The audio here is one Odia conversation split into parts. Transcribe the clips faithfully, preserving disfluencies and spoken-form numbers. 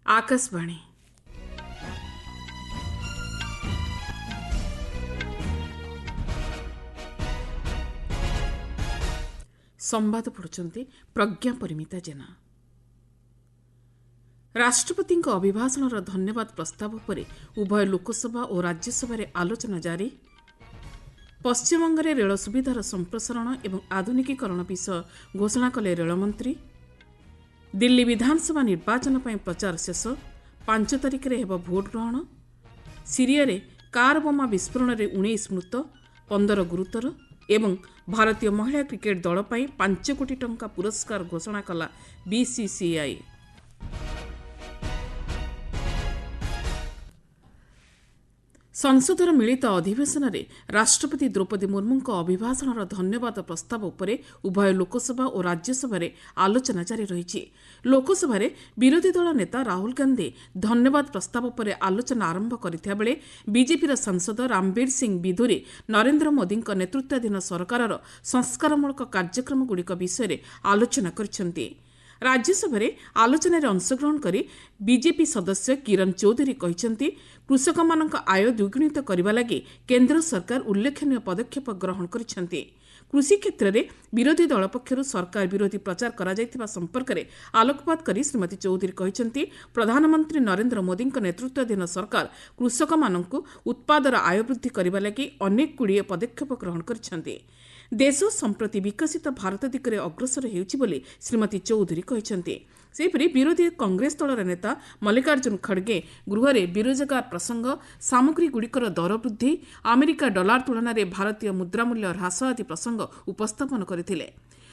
ଆକାଶବାଣୀ। ସମ୍ବାଦ ପଢ଼ୁଛନ୍ତି ପ୍ରଜ୍ଞା ପରିମିତା ଜେନା। ରାଷ୍ଟ୍ରପତିଙ୍କ ଅଭିଭାଷଣର ଧନ୍ୟବାଦ ପ୍ରସ୍ତାବ ଉପରେ ଉଭୟ ଲୋକସଭା ଓ ରାଜ୍ୟସଭାରେ ଆଲୋଚନା ଜାରି। ପଶ୍ଚିମବଙ୍ଗରେ ରେଳ ସୁବିଧାର ସମ୍ପ୍ରସାରଣ ଏବଂ ଆଧୁନିକୀକରଣ ବିଷୟ ଘୋଷଣା କଲେ ରେଳମନ୍ତ୍ରୀ। ଦିଲ୍ଲୀ ବିଧାନସଭା ନିର୍ବାଚନ ପାଇଁ ପ୍ରଚାର ଶେଷ, ପାଞ୍ଚ ତାରିଖରେ ହେବ ଭୋଟଗ୍ରହଣ। ସିରିଆରେ କାର୍ ବୋମା ବିସ୍ଫୋରଣରେ ଉଣେଇଶ ମୃତ, ପନ୍ଦର ଗୁରୁତର ଏବଂ ଭାରତୀୟ ମହିଳା କ୍ରିକେଟ୍ ଦଳ ପାଇଁ ପାଞ୍ଚ କୋଟି ଟଙ୍କା ପୁରସ୍କାର ଘୋଷଣା କଲା ବିସିସିଆଇ। ସଂସଦର ମିଳିତ ଅଧିବେଶନରେ ରାଷ୍ଟ୍ରପତି ଦ୍ରୌପଦୀ ମୁର୍ମୁଙ୍କ ଅଭିଭାଷଣର ଧନ୍ୟବାଦ ପ୍ରସ୍ତାବ ଉପରେ ଉଭୟ ଲୋକସଭା ଓ ରାଜ୍ୟସଭାରେ ଆଲୋଚନା ଜାରି ରହିଛି। ଲୋକସଭାରେ ବିରୋଧୀ ଦଳ ନେତା ରାହୁଲ ଗାନ୍ଧୀ ଧନ୍ୟବାଦ ପ୍ରସ୍ତାବ ଉପରେ ଆଲୋଚନା ଆରମ୍ଭ କରିଥିବା ବେଳେ ବିଜେପିର ସାଂସଦ ରାମବୀର ସିଂ ବିଧୁରୀ ନରେନ୍ଦ୍ର ମୋଦିଙ୍କ ନେତୃତ୍ୱାଧୀନ ସରକାରର ସଂସ୍କାରମୂଳକ କାର୍ଯ୍ୟକ୍ରମଗୁଡ଼ିକ ବିଷୟରେ ଆଲୋଚନା କରିଛନ୍ତି। ରାଜ୍ୟସଭାରେ ଆଲୋଚନାରେ ଅଂଶଗ୍ରହଣ କରି ବିଜେପି ସଦସ୍ୟ କିରଣ ଚୌଧୁରୀ କହିଛନ୍ତି, କୃଷକମାନଙ୍କ ଆୟ ଦ୍ୱିଗୁଣିତ କରିବା ଲାଗି କେନ୍ଦ୍ର ସରକାର ଉଲ୍ଲେଖନୀୟ ପଦକ୍ଷେପ ଗ୍ରହଣ କରିଛନ୍ତି। କୃଷି କ୍ଷେତ୍ରରେ ବିରୋଧୀ ଦଳ ପକ୍ଷରୁ ସରକାର ବିରୋଧୀ ପ୍ରଚାର କରାଯାଇଥିବା ସମ୍ପର୍କରେ ଆଲୋକପାତ କରି ଶ୍ରୀମତୀ ଚୌଧୁରୀ କହିଛନ୍ତି, ପ୍ରଧାନମନ୍ତ୍ରୀ ନରେନ୍ଦ୍ର ମୋଦିଙ୍କ ନେତୃତ୍ୱାଧୀନ ସରକାର କୃଷକମାନଙ୍କୁ ଉତ୍ପାଦର ଆୟ ବୃଦ୍ଧି କରିବା ଲାଗି ଅନେକଗୁଡ଼ିଏ ପଦକ୍ଷେପ ଗ୍ରହଣ କରିଛନ୍ତି। ଦେଶ ସମ୍ପ୍ରତି ବିକଶିତ ଭାରତ ଦିଗରେ ଅଗ୍ରସର ହେଉଛି ବୋଲି ଶ୍ରୀମତୀ ଚୌଧୁରୀ କହିଛନ୍ତି। ସେହିପରି ବିରୋଧୀ କଂଗ୍ରେସ ଦଳର ନେତା ମଲ୍ଲିକାର୍ଜୁନ ଖଡ଼ଗେ ଗୃହରେ ବେରୋଜଗାର ପ୍ରସଙ୍ଗ, ସାମଗ୍ରୀଗୁଡ଼ିକର ଦର ବୃଦ୍ଧି, ଆମେରିକା ଡଲାର ତୁଳନାରେ ଭାରତୀୟ ମୁଦ୍ରା ମୂଲ୍ୟ ହ୍ରାସ ଆଦି ପ୍ରସଙ୍ଗ ଉପସ୍ଥାପନ କରିଥିଲେ।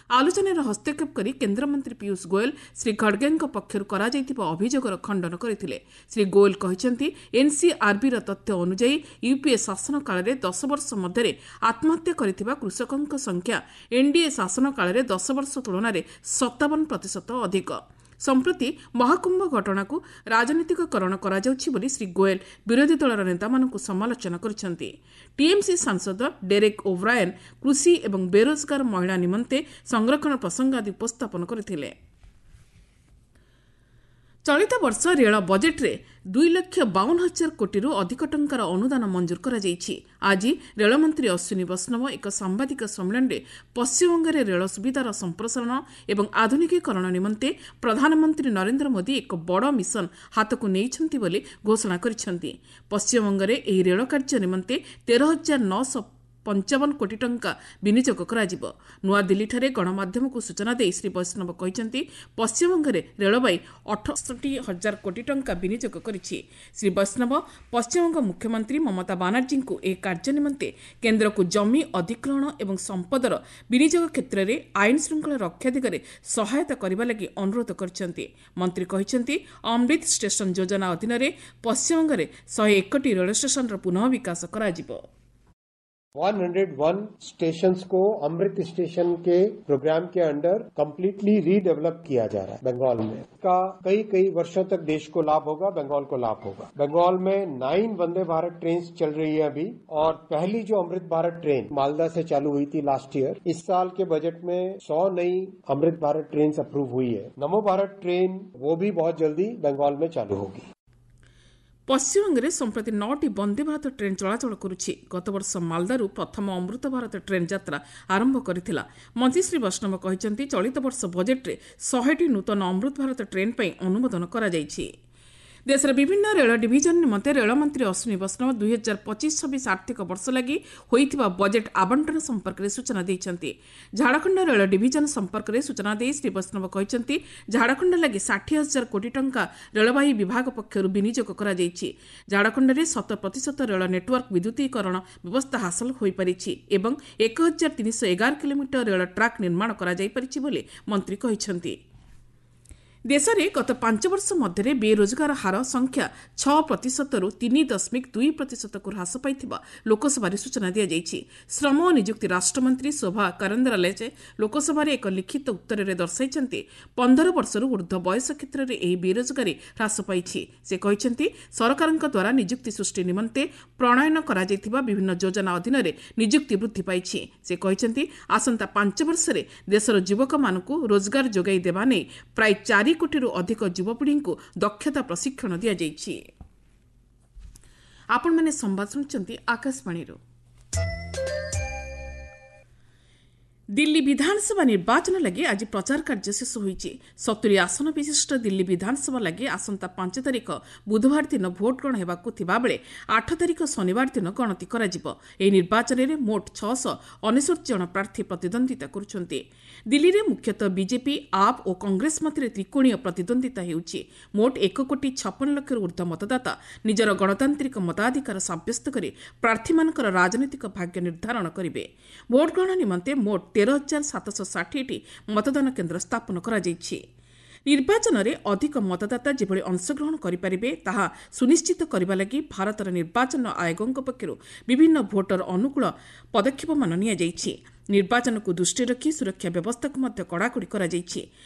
ଆଲୋଚନାରେ ହସ୍ତକ୍ଷେପ କରି କେନ୍ଦ୍ରମନ୍ତ୍ରୀ ପୀୟୁଷ ଗୋଏଲ ଶ୍ରୀ ଖଡ଼ଗେଙ୍କ ପକ୍ଷରୁ କରାଯାଇଥିବା ଅଭିଯୋଗର ଖଣ୍ଡନ କରିଥିଲେ। ଶ୍ରୀ ଗୋଏଲ କହିଛନ୍ତି, ଏନ୍ସିଆର୍ବିର ତଥ୍ୟ ଅନୁଯାୟୀ ୟୁପିଏ ଶାସନ କାଳରେ ଦଶ ବର୍ଷ ମଧ୍ୟରେ ଆତ୍ମହତ୍ୟା କରିଥିବା କୃଷକଙ୍କ ସଂଖ୍ୟା ଏନ୍ଡିଏ ଶାସନ କାଳରେ ଦଶ ବର୍ଷ ତୁଳନାରେ ସତାବନ ପ୍ରତିଶତ ଅଧିକ। ସମ୍ପ୍ରତି ମହାକୁମ୍ଭ ଘଟଣାକୁ ରାଜନୈତିକକରଣ କରାଯାଉଛି ବୋଲି ଶ୍ରୀ ଗୋଏଲ ବିରୋଧୀ ଦଳର ନେତାମାନଙ୍କୁ ସମାଲୋଚନା କରିଛନ୍ତି। ଟିଏମ୍ସି ସାଂସଦ ଡେରେକ୍ ଓବ୍ରାଏନ୍ କୃଷି ଏବଂ ବେରୋଜଗାର ମହିଳା ନିମନ୍ତେ ସଂରକ୍ଷଣ ପ୍ରସଙ୍ଗ ଆଦି ଉପସ୍ଥାପନ କରିଥିଲେ। ଚଳିତ ବର୍ଷ ରେଳ ବଜେଟ୍ରେ ଦୁଇ ଲକ୍ଷ ବାଉନ ହଜାର କୋଟିରୁ ଅଧିକ ଟଙ୍କାର ଅନୁଦାନ ମଞ୍ଜୁର କରାଯାଇଛି। ଆଜି ରେଳମନ୍ତ୍ରୀ ଅଶ୍ୱିନୀ ବୈଷ୍ଣବ ଏକ ସାମ୍ବାଦିକ ସମ୍ମିଳନୀରେ ପଶ୍ଚିମବଙ୍ଗରେ ରେଳ ସୁବିଧାର ସମ୍ପ୍ରସାରଣ ଏବଂ ଆଧୁନିକୀକରଣ ନିମନ୍ତେ ପ୍ରଧାନମନ୍ତ୍ରୀ ନରେନ୍ଦ୍ର ମୋଦି ଏକ ବଡ଼ ମିଶନ ହାତକୁ ନେଇଛନ୍ତି ବୋଲି ଘୋଷଣା କରିଛନ୍ତି। ପଶ୍ଚିମବଙ୍ଗରେ ଏହି ରେଳ କାର୍ଯ୍ୟ ନିମନ୍ତେ ତେର ହଜାର ନଅଶହ ପଞ୍ଚାବନ କୋଟି ଟଙ୍କା ବିନିଯୋଗ କରାଯିବ। ନୂଆଦିଲ୍ଲୀଠାରେ ଗଣମାଧ୍ୟମକୁ ସୂଚନା ଦେଇ ଶ୍ରୀ ବୈଷ୍ଣବ କହିଛନ୍ତି, ପଶ୍ଚିମବଙ୍ଗରେ ରେଳବାଇ ଅଠଷଠି ହଜାର କୋଟି ଟଙ୍କା ବିନିଯୋଗ କରିଛି। ଶ୍ରୀ ବୈଷ୍ଣବ ପଶ୍ଚିମବଙ୍ଗ ମୁଖ୍ୟମନ୍ତ୍ରୀ ମମତା ବାନାର୍ଜୀଙ୍କୁ ଏହି କାର୍ଯ୍ୟ ନିମନ୍ତେ କେନ୍ଦ୍ରକୁ ଜମି ଅଧିଗ୍ରହଣ ଏବଂ ସମ୍ପଦର ବିନିଯୋଗ କ୍ଷେତ୍ରରେ ଆଇନ ଶୃଙ୍ଖଳା ରକ୍ଷା ଦିଗରେ ସହାୟତା କରିବା ଲାଗି ଅନୁରୋଧ କରିଛନ୍ତି। ମନ୍ତ୍ରୀ କହିଛନ୍ତି, ଅମୃତ ଷ୍ଟେସନ ଯୋଜନା ଅଧୀନରେ ପଶ୍ଚିମବଙ୍ଗରେ ଶହେ ଏକଟି ରେଳ ଷ୍ଟେସନର ପୁନଃ ବିକାଶ କରାଯିବ। एक सौ एक स्टेशंस को अमृत स्टेशन के प्रोग्राम के अंडर कंप्लीटली रीडेवलप किया जा रहा है बंगाल में। का कई कई वर्षों तक देश को लाभ होगा, बंगाल को लाभ होगा। बंगाल में नाइन वंदे भारत ट्रेन चल रही है अभी, और पहली जो अमृत भारत ट्रेन मालदा से चालू हुई थी लास्ट ईयर, इस साल के बजट में सौ नई अमृत भारत ट्रेन अप्रूव हुई है। नमो भारत ट्रेन वो भी बहुत जल्दी बंगाल में चालू होगी। ପଶ୍ଚିମବଙ୍ଗରେ ସମ୍ପ୍ରତି ନଅଟି ବନ୍ଦେ ଭାରତ ଟ୍ରେନ୍ ଚଳାଚଳ କରୁଛି। ଗତବର୍ଷ ମାଲଦାରୁ ପ୍ରଥମ ଅମୃତ ଭାରତ ଟ୍ରେନ୍ ଯାତ୍ରା ଆରମ୍ଭ କରିଥିଲା। ମନ୍ତ୍ରୀ ଶ୍ରୀ ବୈଷ୍ଣବ କହିଛନ୍ତି, ଚଳିତ ବର୍ଷ ବଜେଟ୍ରେ ଶହେଟି ନୂତନ ଅମୃତ ଭାରତ ଟ୍ରେନ୍ ପାଇଁ ଅନୁମୋଦନ କରାଯାଇଛି। ଦେଶର ବିଭିନ୍ନ ରେଳ ଡିଭିଜନ ନିମନ୍ତେ ରେଳମନ୍ତ୍ରୀ ଅଶ୍ୱିନୀ ବୈଷ୍ଣବ ଦୁଇ ହଜାର ପଚିଶ ଛବିଶ ଆର୍ଥିକ ବର୍ଷ ଲାଗି ହୋଇଥିବା ବଜେଟ୍ ଆବଣ୍ଟନ ସମ୍ପର୍କରେ ସୂଚନା ଦେଇଛନ୍ତି। ଝାଡ଼ଖଣ୍ଡ ରେଳ ଡିଭିଜନ ସମ୍ପର୍କରେ ସୂଚନା ଦେଇ ଶ୍ରୀ ବୈଷ୍ଣବ କହିଛନ୍ତି, ଝାଡ଼ଖଣ୍ଡ ଲାଗି ଷାଠିଏ ହଜାର କୋଟି ଟଙ୍କା ରେଳବାଇ ବିଭାଗ ପକ୍ଷରୁ ବିନିଯୋଗ କରାଯାଇଛି। ଝାଡ଼ଖଣ୍ଡରେ ଶତ ପ୍ରତିଶତ ରେଳ ନେଟୱାର୍କ ବିଦ୍ୟୁତୀକରଣ ବ୍ୟବସ୍ଥା ହାସଲ ହୋଇପାରିଛି ଏବଂ ଏକ ହଜାର ତିନିଶହ ଏଗାର କିଲୋମିଟର ରେଳ ଟ୍ରାକ୍ ନିର୍ମାଣ କରାଯାଇପାରିଛି ବୋଲି ମନ୍ତ୍ରୀ କହିଛନ୍ତି। ଦେଶରେ ଗତ ପାଞ୍ଚ ବର୍ଷ ମଧ୍ୟରେ ବେରୋଜଗାର ହାର ସଂଖ୍ୟା ଛଅ ପ୍ରତିଶତରୁ ତିନି ଦଶମିକ ଦୁଇ ପ୍ରତିଶତକୁ ହ୍ରାସ ପାଇଥିବା ଲୋକସଭାରେ ସୂଚନା ଦିଆଯାଇଛି। ଶ୍ରମ ଓ ନିଯୁକ୍ତି ରାଷ୍ଟ୍ରମନ୍ତ୍ରୀ ଶୋଭା କରନ୍ଦଲାଜେ ଲୋକସଭାରେ ଏକ ଲିଖିତ ଉତ୍ତରରେ ଦର୍ଶାଇଛନ୍ତି, ପନ୍ଦର ବର୍ଷରୁ ଊର୍ଦ୍ଧ୍ୱ ବୟସ କ୍ଷେତ୍ରରେ ଏହି ବେରୋଜଗାରୀ ହ୍ରାସ ପାଇଛି। ସେ କହିଛନ୍ତି, ସରକାରଙ୍କ ଦ୍ୱାରା ନିଯୁକ୍ତି ସୃଷ୍ଟି ନିମନ୍ତେ ପ୍ରଣୟନ କରାଯାଇଥିବା ବିଭିନ୍ନ ଯୋଜନା ଅଧୀନରେ ନିଯୁକ୍ତି ବୃଦ୍ଧି ପାଇଛି। ସେ କହିଛନ୍ତି, ଆସନ୍ତା ପାଞ୍ଚ ବର୍ଷରେ ଦେଶର ଯୁବକମାନଙ୍କୁ ରୋଜଗାର ଯୋଗାଇ ଦେବା ନେଇ ପ୍ରାୟ ଚାରି କୋଟିରୁ ଅଧିକ ଯୁବପିଢ଼ିଙ୍କୁ ଦକ୍ଷତା ପ୍ରଶିକ୍ଷଣ ଦିଆଯାଇଛି। ଆପଣମାନେ ସମ୍ବାଦ ଶୁଣୁଛନ୍ତି ଆକାଶବାଣୀରୁ। ଦିଲ୍ଲୀ ବିଧାନସଭା ନିର୍ବାଚନ ଲାଗି ଆଜି ପ୍ରଚାର କାର୍ଯ୍ୟ ଶେଷ ହୋଇଛି। ସତୁରି ଆସନ ବିଶିଷ୍ଟ ଦିଲ୍ଲୀ ବିଧାନସଭା ଲାଗି ଆସନ୍ତା ପାଞ୍ଚ ତାରିଖ ବୁଧବାର ଦିନ ଭୋଟ୍ ଗ୍ରହଣ ହେବାକୁ ଥିବାବେଳେ ଆଠ ତାରିଖ ଶନିବାର ଦିନ ଗଣତି କରାଯିବ। ଏହି ନିର୍ବାଚନରେ ମୋଟ ଛଅଶହ ଅନେଶ୍ୱତ ଜଣ ପ୍ରାର୍ଥୀ ପ୍ରତିଦ୍ୱନ୍ଦିତା କରୁଛନ୍ତି। ଦିଲ୍ଲୀରେ ମୁଖ୍ୟତଃ ବିଜେପି, ଆପ୍ ଓ କଂଗ୍ରେସ ମଧ୍ୟରେ ତ୍ରିକୋଣୀୟ ପ୍ରତିଦ୍ୱନ୍ଦିତା ହେଉଛି। ମୋଟ ଏକ କୋଟି ଛପନ ଲକ୍ଷରୁ ଉର୍ଦ୍ଧ୍ୱ ମତଦାତା ନିଜର ଗଣତାନ୍ତ୍ରିକ ମତାଧିକାର ସାବ୍ୟସ୍ତ କରି ପ୍ରାର୍ଥୀମାନଙ୍କର ରାଜନୈତିକ ଭାଗ୍ୟ ନିର୍ଦ୍ଧାରଣ କରିବେ। ଭୋଟ୍ ଗ୍ରହଣ ନିମନ୍ତେ ମୋଟ ତେର ହଜାର ସାତଶହ ଷାଠିଏଟି ମତଦାନ କେନ୍ଦ୍ର ସ୍ଥାପନ କରାଯାଇଛି। ନିର୍ବାଚନରେ ଅଧିକ ମତଦାତା ଯେଭଳି ଅଂଶଗ୍ରହଣ କରିପାରିବେ ତାହା ସୁନିଶ୍ଚିତ କରିବା ଲାଗି ଭାରତର ନିର୍ବାଚନ ଆୟୋଗଙ୍କ ପକ୍ଷରୁ ବିଭିନ୍ନ ଭୋଟର ଅନୁକୂଳ ପଦକ୍ଷେପମାନ ନିଆଯାଇଛି। ନିର୍ବାଚନକୁ ଦୃଷ୍ଟିରେ ରଖି ସୁରକ୍ଷା ବ୍ୟବସ୍ଥାକୁ ମଧ୍ୟ କଡ଼ାକଡ଼ି କରାଯାଇଛି।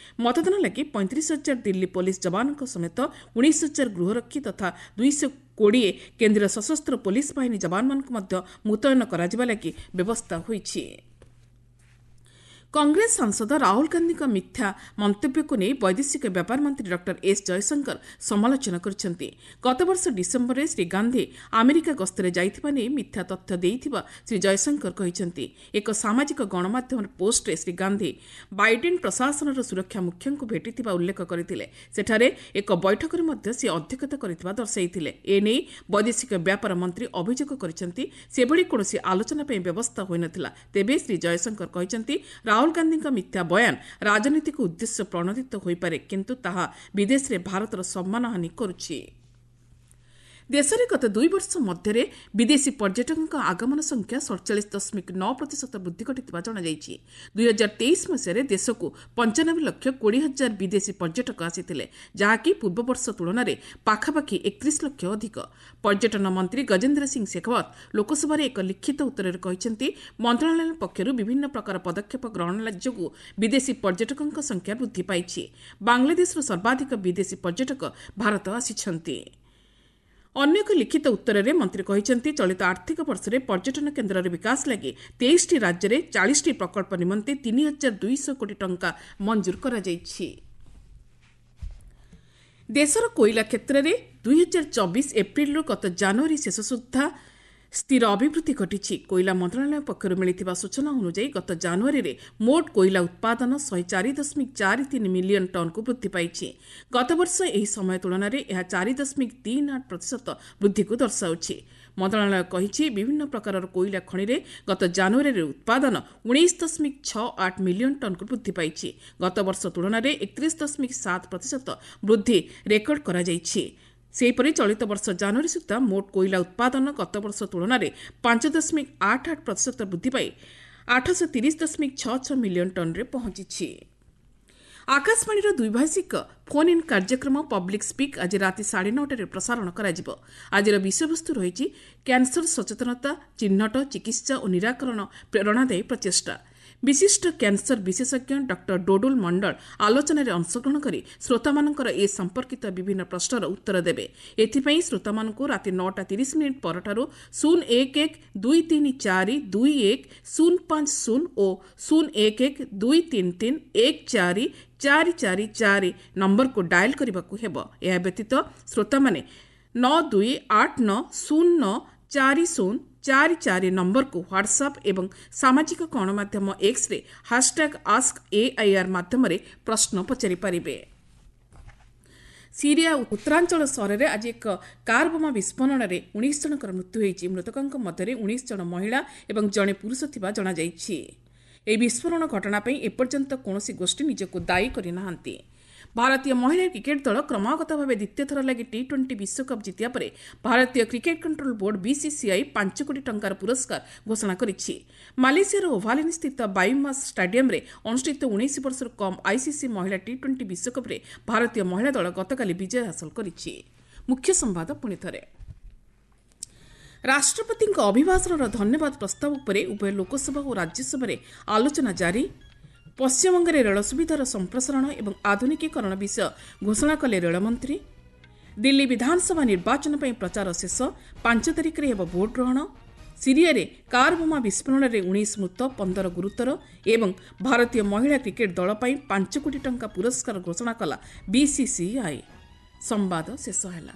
ମତଦାନ ଲାଗି ପଇଁତିରିଶ ହଜାର ଦିଲ୍ଲୀ ପୋଲିସ ଯବାନଙ୍କ ସମେତ ଉଣେଇଶ ହଜାର ଗୃହରକ୍ଷୀ ତଥା ଦୁଇଶହ କୋଡ଼ିଏ କେନ୍ଦ୍ରୀୟ ସଶସ୍ତ୍ର ପୋଲିସ ବାହିନୀ ଯବାନମାନଙ୍କୁ ମଧ୍ୟ ମୁତୟନ କରାଯିବା ଲାଗି ବ୍ୟବସ୍ଥା ହୋଇଛି। କଂଗ୍ରେସ ସାଂସଦ ରାହୁଲ ଗାନ୍ଧୀଙ୍କ ମିଥ୍ୟା ମନ୍ତବ୍ୟକୁ ନେଇ ବୈଦେଶିକ ବ୍ୟାପାର ମନ୍ତ୍ରୀ ଡକ୍ଟର ଏସ୍ ଜୟଶଙ୍କର ସମାଲୋଚନା କରିଛନ୍ତି। ଗତବର୍ଷ ଡିସେମ୍ବରରେ ଶ୍ରୀ ଗାନ୍ଧୀ ଆମେରିକା ଗସ୍ତରେ ଯାଇଥିବା ନେଇ ମିଥ୍ୟା ତଥ୍ୟ ଦେଇଥିବା ଶ୍ରୀ ଜୟଶଙ୍କର କହିଛନ୍ତି। ଏକ ସାମାଜିକ ଗଣମାଧ୍ୟମର ପୋଷ୍ଟରେ ଶ୍ରୀ ଗାନ୍ଧୀ ବାଇଡେନ୍ ପ୍ରଶାସନର ସୁରକ୍ଷା ମୁଖ୍ୟଙ୍କୁ ଭେଟିଥିବା ଉଲ୍ଲେଖ କରିଥିଲେ। ସେଠାରେ ଏକ ବୈଠକରେ ମଧ୍ୟ ସେ ଅଧ୍ୟକ୍ଷତା କରିଥିବା ଦର୍ଶାଇଥିଲେ। ଏନେଇ ବୈଦେଶିକ ବ୍ୟାପାର ମନ୍ତ୍ରୀ ଅଭିଯୋଗ କରିଛନ୍ତି, ସେଭଳି କୌଣସି ଆଲୋଚନା ପାଇଁ ବ୍ୟବସ୍ଥା ହୋଇନଥିଲା। ତେବେ ଶ୍ରୀ ଜୟଶଙ୍କର କହିଛନ୍ତି, ରାହୁଲ ଗାନ୍ଧୀଙ୍କ ମିଥ୍ୟା ବୟାନ ରାଜନୈତିକ ଉଦ୍ଦେଶ୍ୟ ପ୍ରଣୋଦିତ ହୋଇପାରେ, କିନ୍ତୁ ତାହା ବିଦେଶରେ ଭାରତର ସମ୍ମାନହାନି କରୁଛି। ଦେଶରେ ଗତ ଦୁଇ ବର୍ଷ ମଧ୍ୟରେ ବିଦେଶୀ ପର୍ଯ୍ୟଟକଙ୍କ ଆଗମନ ସଂଖ୍ୟା ସଡ଼ଚାଳିଶ ଦଶମିକ ନଅ ପ୍ରତିଶତ ବୃଦ୍ଧି ଘଟିଥିବା ଜଣାଯାଇଛି। ଦୁଇହଜାର ତେଇଶ ମସିହାରେ ଦେଶକୁ ପଞ୍ଚାନବେ ଲକ୍ଷ କୋଡ଼ିଏ ହଜାର ବିଦେଶୀ ପର୍ଯ୍ୟଟକ ଆସିଥିଲେ, ଯାହାକି ପୂର୍ବବର୍ଷ ତୁଳନାରେ ପାଖାପାଖି ଏକତିରିଶ ଲକ୍ଷ ଅଧିକ। ପର୍ଯ୍ୟଟନ ମନ୍ତ୍ରୀ ଗଜେନ୍ଦ୍ର ସିଂ ଶେଖାୱତ ଲୋକସଭାରେ ଏକ ଲିଖିତ ଉତ୍ତରରେ କହିଛନ୍ତି, ମନ୍ତ୍ରଣାଳୟ ପକ୍ଷରୁ ବିଭିନ୍ନ ପ୍ରକାର ପଦକ୍ଷେପ ଗ୍ରହଣ ଯୋଗୁଁ ବିଦେଶୀ ପର୍ଯ୍ୟଟକଙ୍କ ସଂଖ୍ୟା ବୃଦ୍ଧି ପାଇଛି। ବାଂଲାଦେଶରୁ ସର୍ବାଧିକ ବିଦେଶୀ ପର୍ଯ୍ୟଟକ ଭାରତ ଆସିଛନ୍ତି। ଅନ୍ୟ ଏକ ଲିଖିତ ଉତ୍ତରରେ ମନ୍ତ୍ରୀ କହିଛନ୍ତି, ଚଳିତ ଆର୍ଥିକ ବର୍ଷରେ ପର୍ଯ୍ୟଟନ କେନ୍ଦ୍ରର ବିକାଶ ଲାଗି ତେଇଶଟି ରାଜ୍ୟରେ ଚାଳିଶଟି ପ୍ରକଳ୍ପ ନିମନ୍ତେ ତିନି ହଜାର ଦୁଇଶହ କୋଟି ଟଙ୍କା ମଞ୍ଜୁର କରାଯାଇଛି। ଦେଶର କୋଇଲା କ୍ଷେତ୍ରରେ ଦୁଇହଜାର ଚବିଶ ଏପ୍ରିଲରୁ ଗତ ଜାନୁଆରୀ ଶେଷ ସୁଦ୍ଧା ସ୍ଥିର ଅଭିବୃଦ୍ଧି ଘଟିଛି। କୋଇଲା ମନ୍ତ୍ରଣାଳୟ ପକ୍ଷରୁ ମିଳିଥିବା ସୂଚନା ଅନୁଯାୟୀ ଗତ ଜାନୁଆରୀରେ ମୋଟ କୋଇଲା ଉତ୍ପାଦନ ଶହେ ଚାରି ଦଶମିକ ଚାରି ତିନି ମିଲିୟନ ଟନ୍କୁ ବୃଦ୍ଧି ପାଇଛି। ଗତବର୍ଷ ଏହି ସମୟ ତୁଳନାରେ ଏହା ଚାରି ଦଶମିକ ତିନି ଆଠ ପ୍ରତିଶତ ବୃଦ୍ଧିକୁ ଦର୍ଶାଉଛି। ମନ୍ତ୍ରଣାଳୟ କହିଛି, ବିଭିନ୍ନ ପ୍ରକାରର କୋଇଲା ଖଣିରେ ଗତ ଜାନୁଆରୀରେ ଉତ୍ପାଦନ ଉଣେଇଶ ଦଶମିକ ଛଅ ଆଠ ମିଲିୟନ ଟନ୍କୁ ବୃଦ୍ଧି ପାଇଛି। ଗତବର୍ଷ ତୁଳନାରେ ଏକତିରିଶ ଦଶମିକ ସାତ ପ୍ରତିଶତ ବୃଦ୍ଧି ରେକର୍ଡ କରାଯାଇଛି। ସେହିପରି ଚଳିତ ବର୍ଷ ଜାନୁଆରୀ ସୁଦ୍ଧା ମୋଟ କୋଇଲା ଉତ୍ପାଦନ ଗତବର୍ଷ ତୁଳନାରେ ପାଞ୍ଚ ଦଶମିକ ଆଠ ଆଠ ପ୍ରତିଶତ ବୃଦ୍ଧି ପାଇ ଆଠଶହ ତିରିଶ ଦଶମିକ ଛଅ ଛଅ ମିଲିୟନ ଟନ୍ରେ ପହଞ୍ଚିଛି। ଆକାଶବାଣୀର ଦ୍ୱିଭାଷିକ ଫୋନ୍ ଇନ୍ କାର୍ଯ୍ୟକ୍ରମ ପବ୍ଲିକ୍ ସ୍ପିକ୍ ଆଜି ରାତି ସାଢ଼େ ନଅଟାରେ ପ୍ରସାରଣ କରାଯିବ। ଆଜିର ବିଷୟବସ୍ତୁ ରହିଛି କ୍ୟାନ୍ସର ସଚେତନତା, ଚିହ୍ନଟ, ଚିକିତ୍ସା ଓ ନିରାକରଣ ପ୍ରେରଣାଦାୟୀ ପ୍ରଚେଷ୍ଟା। ବିଶିଷ୍ଟ କ୍ୟାନ୍ସର ବିଶେଷଜ୍ଞ ଡକ୍ଟର ଡୋଡୁଲ ମଣ୍ଡଳ ଆଲୋଚନାରେ ଅଂଶଗ୍ରହଣ କରି ଶ୍ରୋତାମାନଙ୍କର ଏ ସମ୍ପର୍କିତ ବିଭିନ୍ନ ପ୍ରଶ୍ନର ଉତ୍ତର ଦେବେ। ଏଥିପାଇଁ ଶ୍ରୋତାମାନଙ୍କୁ ରାତି ନଅଟା ତିରିଶ ମିନିଟ୍ ପରଠାରୁ ଶୂନ ଏକ ଏକ ଦୁଇ ତିନି ଚାରି ଦୁଇ ଏକ ଶୂନ ପାଞ୍ଚ ଶୂନ ଓ ଶୂନ ଏକ ଏକ ଦୁଇ ତିନି ତିନି ଏକ ଚାରି ଚାରି ଚାରି ଚାରି ନମ୍ବରକୁ ଡାଏଲ୍ କରିବାକୁ ହେବ। ଏହା ବ୍ୟତୀତ ଶ୍ରୋତାମାନେ ନଅ ଦୁଇ ଆଠ ନଅ ଶୂନ ନଅ ଚାରି ଶୂନ ଚାରି ଚାରି ନମ୍ବରକୁ ହ୍ୱାଟ୍ସଆପ୍ ଏବଂ ସାମାଜିକ ଗଣମାଧ୍ୟମ ଏକ୍ସରେ ହାସଟ୍ୟାଗ୍ ଆସ୍କ ଏଆଇଆର୍ ମାଧ୍ୟମରେ ପ୍ରଶ୍ନ ପଚାରିପାରିବେ। ସିରିଆ ଉତ୍ତରାଞ୍ଚଳ ସହରରେ ଆଜି ଏକ କାର୍ ବୋମା ବିସ୍ଫୋରଣରେ ଉଣେଇଶ ଜଣଙ୍କର ମୃତ୍ୟୁ ହୋଇଛି। ମୃତକଙ୍କ ମଧ୍ୟରେ ଉଣେଇଶ ଜଣ ମହିଳା ଏବଂ ଜଣେ ପୁରୁଷ ଥିବା ଜଣାଯାଇଛି। ଏହି ବିସ୍ଫୋରଣ ଘଟଣା ପାଇଁ ଏପର୍ଯ୍ୟନ୍ତ କୌଣସି ଗୋଷ୍ଠୀ ନିଜକୁ ଦାୟୀ କରିନାହାନ୍ତି। ଭାରତୀୟ ମହିଳା କ୍ରିକେଟ୍ ଦଳ କ୍ରମାଗତ ଭାବେ ଦ୍ୱିତୀୟ ଥର ଲାଗି ଟି ଟ୍ୱେଣ୍ଟି ବିଶ୍ୱକପ୍ ଜିତିବା ପରେ ଭାରତୀୟ କ୍ରିକେଟ୍ କଣ୍ଟ୍ରୋଲ ବୋର୍ଡ ବିସିସିଆଇ ପାଞ୍ଚ କୋଟି ଟଙ୍କାର ପୁରସ୍କାର ଘୋଷଣା କରିଛି। ମାଲେସିଆର ଓଭାଲିନ୍ ସ୍ଥିତ ବାୟୁମାସ୍ ଷ୍ଟାଡିୟମ୍ରେ ଅନୁଷ୍ଠିତ ଉଣେଇଶ ବର୍ଷରୁ କମ୍ ଆଇସିସି ମହିଳା ଟି ଟ୍ୱେଣ୍ଟି ବିଶ୍ୱକପ୍ରେ ଭାରତୀୟ ମହିଳା ଦଳ ଗତକାଲି ବିଜୟ ହାସଲ କରିଛି। ମୁଖ୍ୟ ସମ୍ବାଦ ପୁଣି ଥରେ। ରାଷ୍ଟ୍ରପତିଙ୍କ ଅଭିଭାଷଣର ଧନ୍ୟବାଦ ପ୍ରସ୍ତାବ ଉପରେ ଉଭୟ ଲୋକସଭା ଓ ରାଜ୍ୟସଭାରେ ଆଲୋଚନା ଜାରି। ପଶ୍ଚିମବଙ୍ଗରେ ରେଳ ସୁବିଧାର ସମ୍ପ୍ରସାରଣ ଏବଂ ଆଧୁନିକୀକରଣ ବିଷୟ ଘୋଷଣା କଲେ ରେଳମନ୍ତ୍ରୀ। ଦିଲ୍ଲୀ ବିଧାନସଭା ନିର୍ବାଚନ ପାଇଁ ପ୍ରଚାର ଶେଷ, ପାଞ୍ଚ ତାରିଖରେ ହେବ ଭୋଟ୍ ଗ୍ରହଣ। ସିରିଆରେ କାର୍ ବୋମା ବିସ୍ଫୋରଣରେ ଉଣେଇଶ ମୃତ, ପନ୍ଦର ଗୁରୁତର ଏବଂ ଭାରତୀୟ ମହିଳା କ୍ରିକେଟ୍ ଦଳ ପାଇଁ ପାଞ୍ଚ କୋଟି ଟଙ୍କା ପୁରସ୍କାର ଘୋଷଣା କଲା ବିସିସିଆଇ। ସମ୍ବାଦ ଶେଷ ହେଲା।